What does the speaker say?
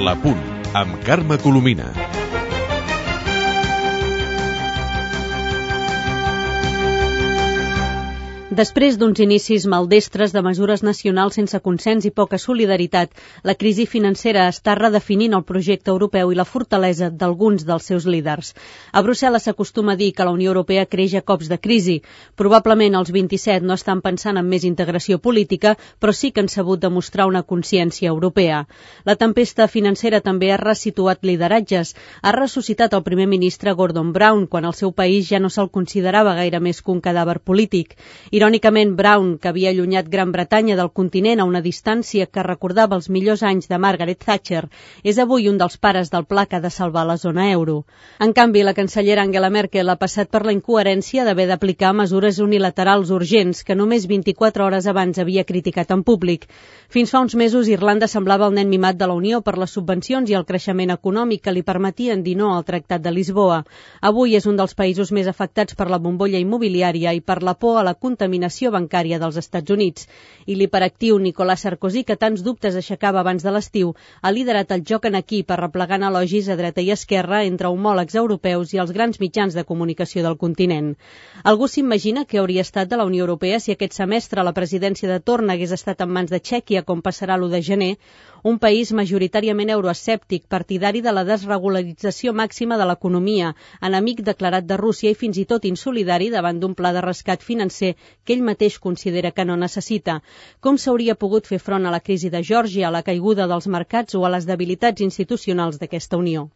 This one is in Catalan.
Parlapunt, amb Carme Colomina. Després d'uns inicis maldestres de mesures nacionals sense consens i poca solidaritat, la crisi financera està redefinint el projecte europeu i la fortalesa d'alguns dels seus líders. A Brussel·les s'acostuma a dir que la Unió Europea creix a cops de crisi. Probablement els 27 no estan pensant en més integració política, però sí que han sabut demostrar una consciència europea. La tempesta financera també ha resituat lideratges. Ha ressuscitat el primer ministre Gordon Brown, quan el seu país ja no se'l considerava gaire més que un cadàver polític. Irònicament, Brown, que havia allunyat Gran Bretanya del continent a una distància que recordava els millors anys de Margaret Thatcher, és avui un dels pares del pla que ha de salvar la zona euro. En canvi, la cancellera Angela Merkel ha passat per la incoherència d'haver d'aplicar mesures unilaterals urgents que només 24 hores abans havia criticat en públic. Fins fa uns mesos, Irlanda semblava el nen mimat de la Unió per les subvencions i el creixement econòmic que li permetien dir no al Tractat de Lisboa. Avui és un dels països més afectats per la bombolla immobiliària i per la por a la contaminació bancària dels Estats Units. I l'hiperactiu Nicolas Sarkozy, que tants dubtes aixecava abans de l'estiu, ha liderat el joc en equip arreplegant elogis a dreta i esquerra entre homòlegs europeus i els grans mitjans de comunicació del continent. Algú s'imagina què hauria estat de la Unió Europea si aquest semestre la presidència de torn hagués estat en mans de Txèquia, com passarà l'1 de gener, un país majoritàriament euroescèptic, partidari de la desregularització màxima de l'economia, enemic declarat de Rússia i fins i tot insolidari davant d'un pla de rescat financer que ell mateix considera que no necessita. Com s'hauria pogut fer front a la crisi de Geòrgia, a la caiguda dels mercats o a les debilitats institucionals d'aquesta Unió?